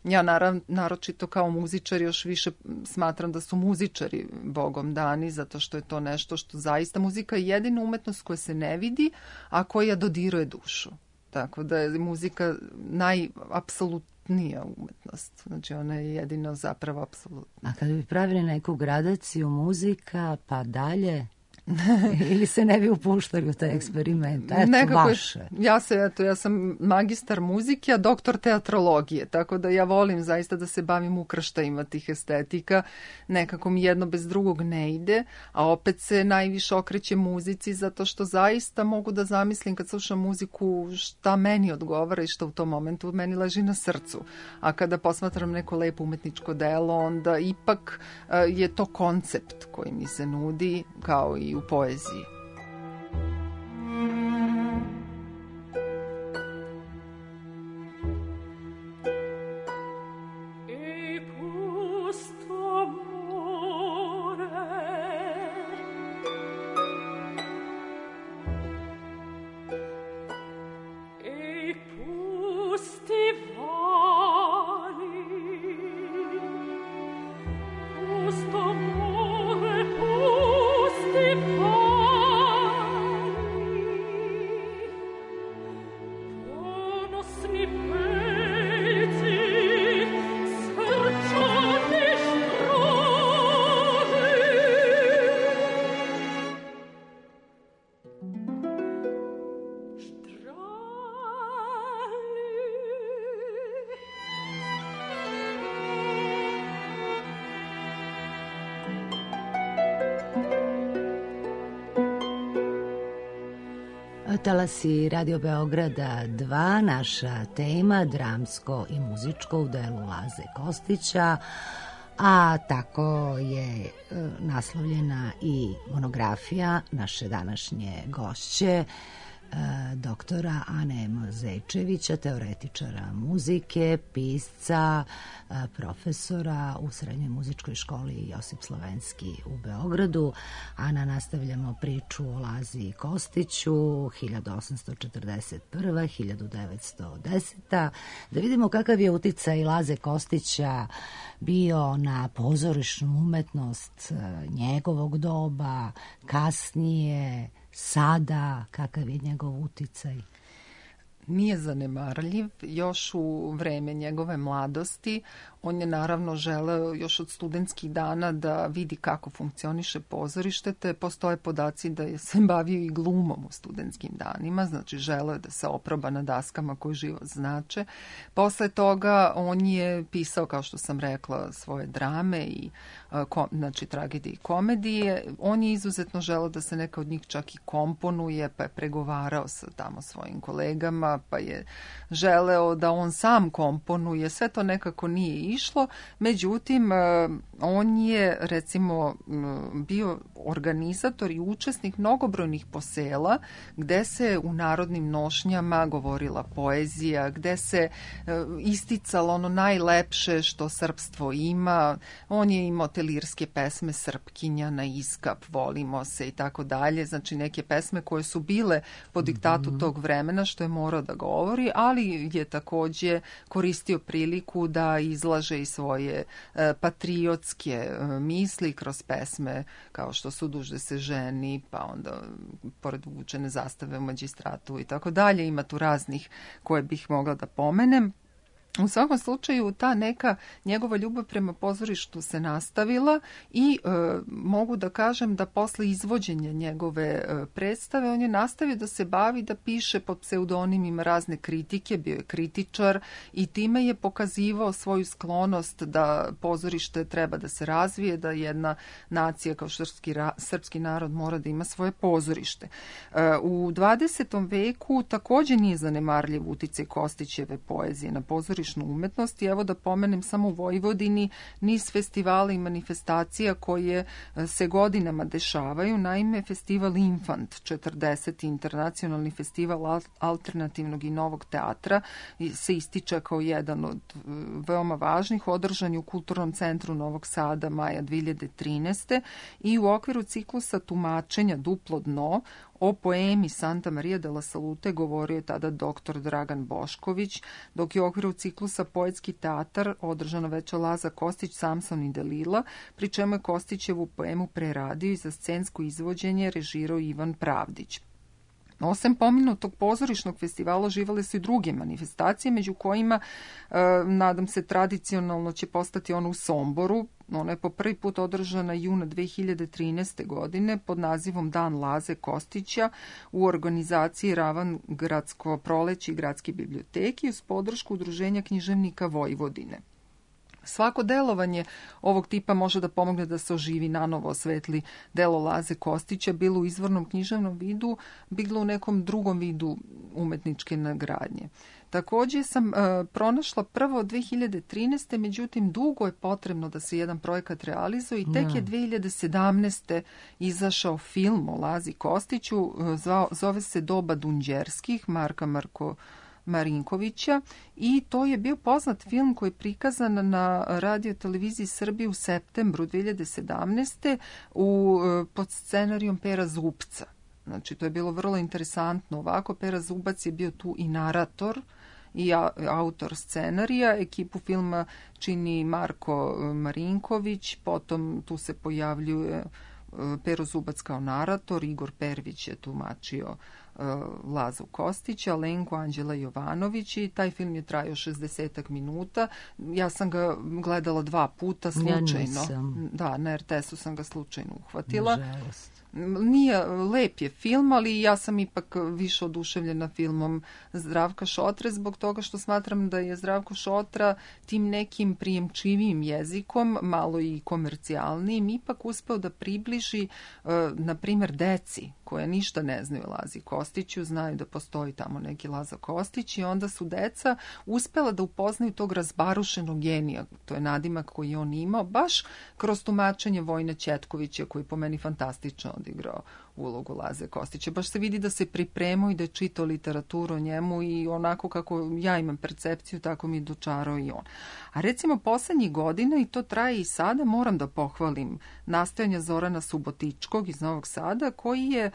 Speaker 6: Ja naročito kao muzičar još više smatram da su muzičari Bogom dani, zato što je to nešto što zaista muzika je jedina umetnost koja se ne vidi, a koja dodiruje dušu. Tako da je muzika najapsolutnija umetnost. Znači ona je jedino zapravo apsolutna.
Speaker 1: A kada bi pravili neku gradaciju muzika, pa dalje... Ili se ne bi upuštali u taj eksperiment? Eto, vaše.
Speaker 6: Ja sam magistar muzike, a doktor teatrologije, tako da ja volim zaista da se bavim ukrštajima tih estetika. Nekako mi jedno bez drugog ne ide, a opet se najviše okreće muzici, zato što zaista mogu da zamislim kad slušam muziku šta meni odgovara i šta u tom momentu meni leži na srcu. A kada posmatram neko lepo umetničko delo, onda ipak je to koncept koji mi se nudi, kao i u poeziji.
Speaker 1: Talasi Radio Beograda 2, naša tema dramsko i muzičko u delu Laze Kostića, a tako je naslovljena i monografija naše današnje gošće, doktora Ane M. Zečevića, teoretičara muzike, pisca, profesora u Srednjoj muzičkoj školi Josip Slovenski u Beogradu. Ana, nastavljamo priču o Lazi Kostiću, 1841-1910. Da vidimo kakav je uticaj Laze Kostića bio na pozorišnu umetnost njegovog doba, kasnije, sada, kakav je njegov uticaj?
Speaker 6: Nije zanemarljiv. Još u vreme njegove mladosti on je naravno želeo još od studentskih dana da vidi kako funkcioniše pozorište, te postoje podaci da je se bavio i glumom u studentskim danima, znači želeo je da se oproba na daskama koji život znače. Posle toga on je pisao, kao što sam rekla, svoje drame i znači tragedije i komedije. On je izuzetno želeo da se neka od njih čak i komponuje, pa je pregovarao sa tamo svojim kolegama, pa je želeo da on sam komponuje. Sve to nekako nije išlo. Međutim, on je recimo bio organizator i učesnik mnogobrojnih posela gde se u narodnim nošnjama govorila poezija, gde se isticalo ono najlepše što srpstvo ima. On je imao te lirske pesme Srpkinja, Na iskap, Volimo se i tako dalje. Znači neke pesme koje su bile po diktatu tog vremena, što je morao da govori, ali je takođe koristio priliku da izlaže i svoje patriotske misli kroz pesme kao što su Dužde se ženi, pa onda pored vučene zastave u Magistratu i tako dalje. Ima tu raznih koje bih mogla da pomenem. U svakom slučaju ta neka njegova ljubav prema pozorištu se nastavila i mogu da kažem da posle izvođenja njegove predstave on je nastavio da se bavi, da piše pod pseudonimima razne kritike, bio je kritičar i time je pokazivao svoju sklonost da pozorište treba da se razvije, da jedna nacija kao srpski narod mora da ima svoje pozorište. U 20. veku takođe nije zanemarljiv uticaj Kostićeve poezije na pozorište pozorišnu umetnost i evo da pomenem samo u Vojvodini niz festivala i manifestacija koje se godinama dešavaju. Naime, festival Infant 40. internacionalni festival alternativnog i novog teatra se ističe kao jedan od veoma važnih, održan je u Kulturnom centru Novog Sada maja 2013. i u okviru ciklusa tumačenja Duplo dno o poemi Santa Maria della Salute govorio je tada dr. Dragan Bošković, dok je u okviru ciklusa Poetski teatar održano veče Laza Kostić, Samson i Delila, pri čemu je Kostićevu poemu preradio i za scensko izvođenje režirao Ivan Pravdić. Osim pomenutog pozorišnog festivala živale su i druge manifestacije, među kojima, nadam se, tradicionalno će postati ono u Somboru. Ona je po prvi put održana juna 2013. godine pod nazivom Dan Laze Kostića u organizaciji Ravangradsko proleće i Gradske biblioteke uz podršku Udruženja književnika Vojvodine. Svako delovanje ovog tipa može da pomogne da se oživi, nanovo osvetli delo Laze Kostića, bilo u izvornom književnom vidu, bilo u nekom drugom vidu umetničke nagradnje. Takođe sam pronašla prvo 2013. Međutim, dugo je potrebno da se jedan projekat realizuje i tek je 2017. izašao film o Lazi Kostiću, zove se Doba Dunđerskih, Marka Marinkovića i to je bio poznat film koji je prikazan na Radio televiziji Srbije u septembru 2017. Pod scenarijom Pera Zubca. Znači, to je bilo vrlo interesantno. Ovako, Pera Zubac je bio tu i narator i autor scenarija. Ekipu filma čini Marko Marinković, potom tu se pojavljuje Pero Zubac kao narator, Igor Pervić je tumačio Lazu Kostića, Lenko Anđela Jovanović i taj film je trajao 60 minuta. Ja sam ga gledala 2 puta slučajno. Da, na RTS-u sam ga slučajno uhvatila.
Speaker 1: Nažalost.
Speaker 6: Nije, lep je film, ali ja sam ipak više oduševljena filmom Zdravka Šotre zbog toga što smatram da je Zdravko Šotra tim nekim prijemčivijim jezikom, malo i komercijalnijim, ipak uspeo da približi, na primjer, deci koja ništa ne znaju o Lazi Kostiću, znaju da postoji tamo neki Laza Kostić i onda su deca uspela da upoznaju tog razbarušenog genija, to je nadimak koji je on imao, baš kroz tumačenje Vojina Ćetkovića koji je po meni fantastično odigrao ulogu Laze Kostića. Baš se vidi da se pripremao i da je čitao literaturu o njemu i onako kako ja imam percepciju, tako mi je dočarao i on. A recimo poslednjih godina, i to traje i sada, moram da pohvalim nastojanja Zorana Subotičkog iz Novog Sada, koji je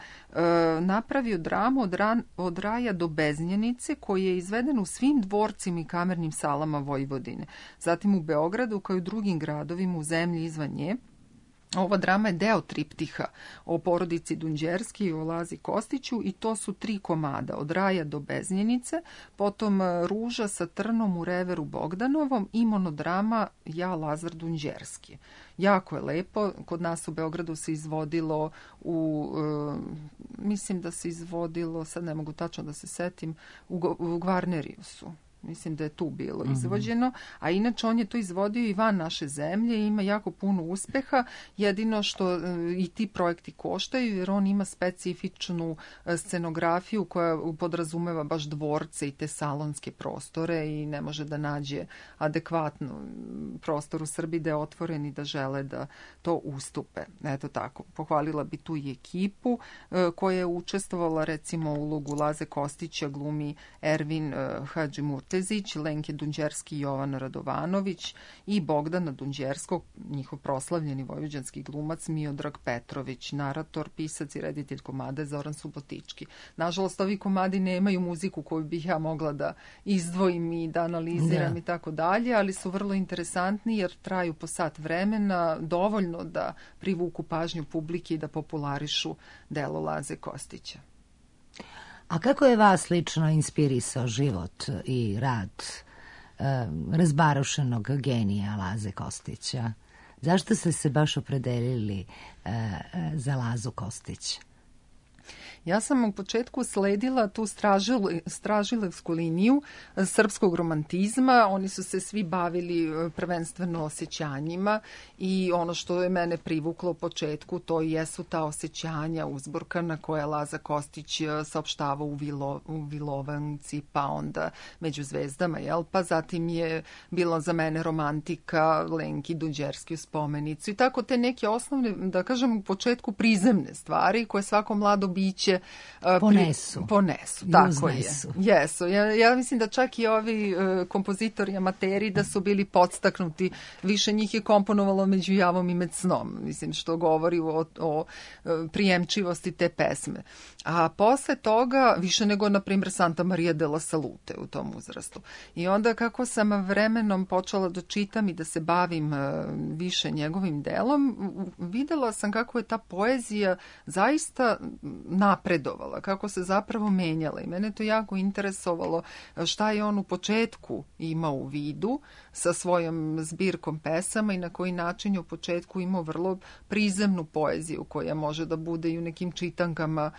Speaker 6: napravio dramu od raja do Beznjenice, koji je izveden u svim dvorcima i kamernim salama Vojvodine. Zatim u Beogradu, kao i u drugim gradovima u zemlji izvan nje. Ova drama je deo triptiha o porodici Dunđerski i o Lazi Kostiću i to su 3 komada, od raja do Beznjenice, potom Ruža sa trnom u reveru Bogdanovom i monodrama Ja Lazar Dunđerski. Jako je lepo, kod nas u Beogradu se izvodilo mislim da se izvodilo, sad ne mogu tačno da se setim, u Gvarneriusu. Mislim da je tu bilo izvođeno, a inače on je to izvodio i van naše zemlje i ima jako puno uspeha, jedino što i ti projekti koštaju jer on ima specifičnu scenografiju koja podrazumeva baš dvorce i te salonske prostore i ne može da nađe adekvatno prostor u Srbiji da je otvoren i da žele da to ustupe. Eto tako, pohvalila bi tu i ekipu koja je učestvovala recimo u ulogu Laze Kostića glumi Ervin Hadžimurtezić, Lenke Dunđerski i Jovan Radovanović i Bogdana Dunđerskog, njihov proslavljeni vojvođanski glumac Miodrag Petrović, narator, pisac i reditelj komada Zoran Subotički. Nažalost, ovi komadi nemaju muziku koju bih ja mogla da izdvojim i da analiziram i tako dalje, ali su vrlo interesantni jer traju po sat vremena, dovoljno da privuku pažnju publike i da popularišu delo Laze Kostića.
Speaker 1: A kako je vas lično inspirisao život i rad razbarušenog genija Laze Kostića? Zašto ste se baš opredelili za Lazu Kostića?
Speaker 6: Ja sam u početku sledila tu stražilevsku liniju srpskog romantizma. Oni su se svi bavili prvenstveno osjećanjima i ono što je mene privuklo u početku, to jesu ta osjećanja uzburkana koja Laza Kostić saopštava u Vilovanci, pa onda Među zvezdama, jel? Pa zatim je bila za mene romantika, Lenki Duđerski u Spomenicu i tako te neke osnovne, da kažem, u početku prizemne stvari koje svako mlado biće ponesu, tako je. Jesu. Ja mislim da čak i ovi kompozitori amateri da su bili podstaknuti, više njih je komponovalo Među javom i med snom, mislim, što govori o prijemčivosti te pesme. A posle toga, više nego, na primjer, Santa Maria della Salute u tom uzrastu. I onda kako sam vremenom počela da čitam i da se bavim više njegovim delom, videla sam kako je ta poezija zaista napredovala, kako se zapravo menjala. I mene to jako interesovalo šta je on u početku imao u vidu sa svojom zbirkom pesama i na koji način je u početku imao vrlo prizemnu poeziju koja može da bude i u nekim čitankama,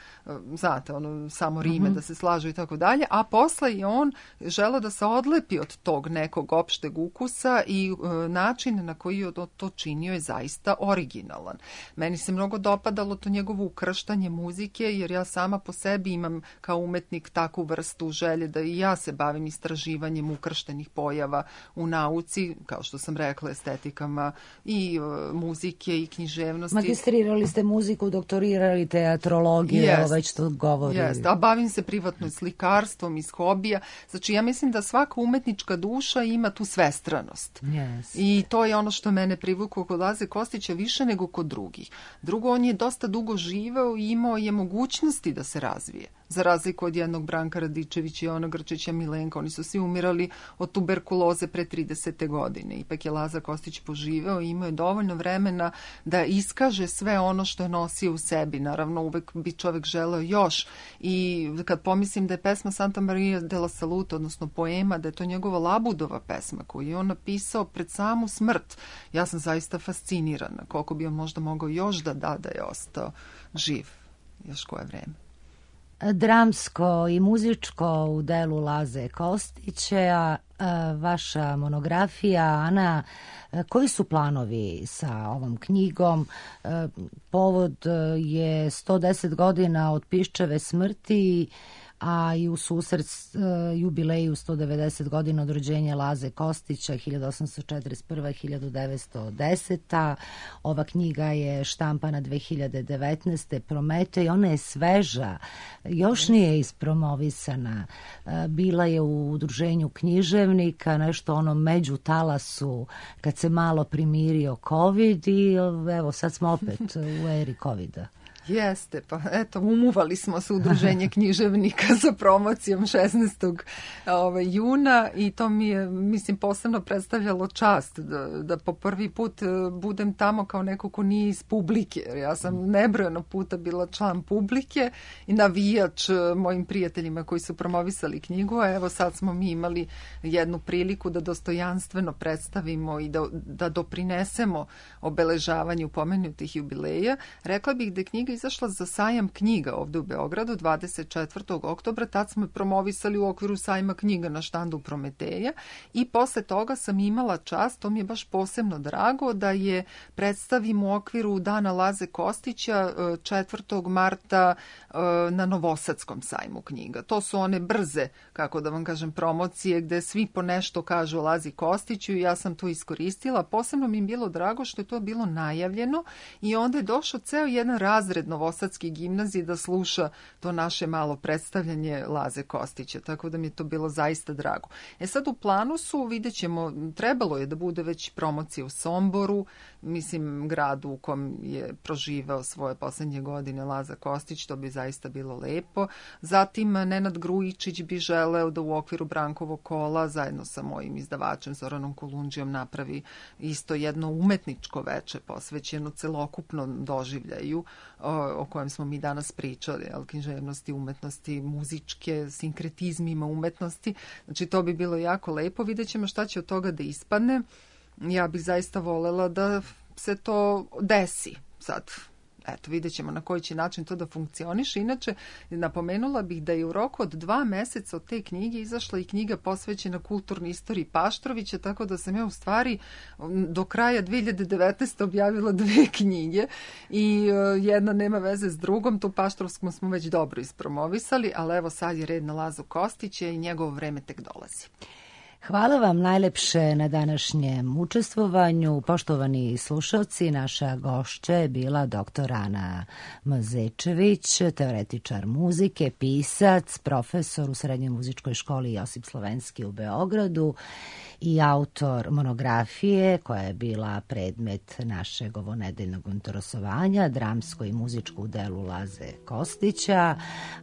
Speaker 6: znate, samo rime da se slažu i tako dalje, a posle je on želeo da se odlepi od tog nekog opšteg ukusa i način na koji je to činio je zaista originalan. Meni se mnogo dopadalo to njegovo ukrštanje muzike, jer ja sama po sebi imam kao umetnik takvu vrstu želje da i ja se bavim istraživanjem ukrštenih pojava u nauci, kao što sam rekla, estetikama i muzike i književnosti.
Speaker 1: Magistrirali ste muziku, doktorirali teatrologiju, već to govori.
Speaker 6: Jeste, a bavim se privatno slikarstvom iz hobija. Znači, ja mislim da svaka umetnička duša ima tu svestranost.
Speaker 1: Yes.
Speaker 6: I to je ono što mene privuklo kod Laze Kostića više nego kod drugih. Drugo, on je dosta dugo živeo i imao je mogućnosti da se razvije. Za razliku od jednog Branka Radičevića, Jovana Grčića, Milenka, oni su svi umirali od tuberkuloze pre 30. godine. Ipak je Laza Kostić poživeo i imao je dovoljno vremena da iskaže sve ono što je nosio u sebi. Naravno, uvek bi čovek želeo još. I kad pomislim da je pesma Santa Maria della Salute, odnosno poema, da je to njegova Labudova pesma koju je on napisao pred samu smrt, ja sam zaista fascinirana koliko bi on možda mogao još da je ostao živ još koje vreme.
Speaker 1: Dramsko i muzičko u delu Laze Kostića, vaša monografija, Ana, koji su planovi sa ovom knjigom? Povod je 110 godina od Piščeve smrti, a i u susret jubileju 190 godina od rođenja Laze Kostića 1841-1910. Ova knjiga je štampana 2019. Prometej, ona je sveža, još nije ispromovisana. Bila je u udruženju književnika, nešto ono među talasu kad se malo primirio COVID i evo sad smo opet u eri COVID-a.
Speaker 6: Jeste, pa eto, umuvali smo se udruženje književnika sa promocijom 16. juna i to mi je, mislim, posebno predstavljalo čast da po prvi put budem tamo kao neko ko nije iz publike. Ja sam nebrojeno puta bila član publike i navijač mojim prijateljima koji su promovisali knjigu, a evo sad smo mi imali jednu priliku da dostojanstveno predstavimo i da doprinesemo obeležavanju pomenutih jubileja. Rekla bih da je knjiga izašla za sajam knjiga ovde u Beogradu 24. oktobra, tad smo je promovisali u okviru sajma knjiga na štandu Prometeja i posle toga sam imala čast, to mi je baš posebno drago, da je predstavim u okviru Dana Laze Kostića 4. marta na Novosadskom sajmu knjiga. To su one brze, kako da vam kažem, promocije gde svi po nešto kažu o Lazi Kostiću i ja sam to iskoristila. Posebno mi je bilo drago što je to bilo najavljeno i onda je došao ceo jedan razred Novosadske gimnazije da sluša to naše malo predstavljanje Laze Kostića, tako da mi je to bilo zaista drago. Sad u planu su, vidjet ćemo, trebalo je da bude već promocija u Somboru, mislim gradu u kom je proživao svoje poslednje godine Laza Kostić, to bi zaista bilo lepo. Zatim Nenad Grujičić bi želeo da u okviru Brankovog kola zajedno sa mojim izdavačem Zoranom Kolundžijom napravi isto jedno umetničko veče posvećeno celokupnom doživljaju o kojem smo mi danas pričali, književnosti, umetnosti, muzičke, sinkretizmima umetnosti. Znači, to bi bilo jako lepo. Vidjet ćemo šta će od toga da ispadne. Ja bih zaista volela da se to desi sad. eto, vidjet ćemo na koji će način to da funkcioniše. Inače, napomenula bih da je u roku od 2 meseca od te knjige izašla i knjiga posvećena kulturnoj istoriji Paštrovića, tako da sam ja u stvari do kraja 2019. objavila 2 knjige i jedna nema veze s drugom. Tu Paštrovskom smo već dobro ispromovisali, ali evo sad je red na Lazu Kostića i njegovo vreme tek dolazi.
Speaker 1: Hvala vam najlepše na današnjem učestvovanju. Poštovani slušalci, naša gošća je bila dr. Ana Mazečević, teoretičar muzike, pisac, profesor u Srednjoj muzičkoj školi Josip Slovenski u Beogradu i autor monografije koja je bila predmet našeg ovonedeljnog interesovanja, dramsko i muzičko u delu Laze Kostića.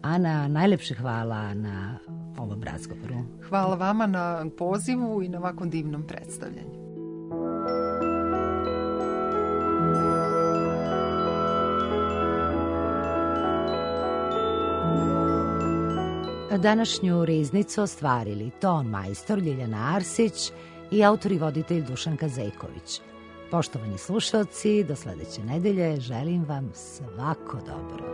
Speaker 1: Ana, najlepše hvala na ovom razgovoru.
Speaker 6: Hvala vama na pozivu i na ovakvom divnom predstavljanju.
Speaker 1: Današnju riznicu ostvarili ton majstor Ljiljana Arsić i autor i voditelj Dušan Kazejković. Poštovani slušalci, do sledeće nedelje želim vam svako dobro.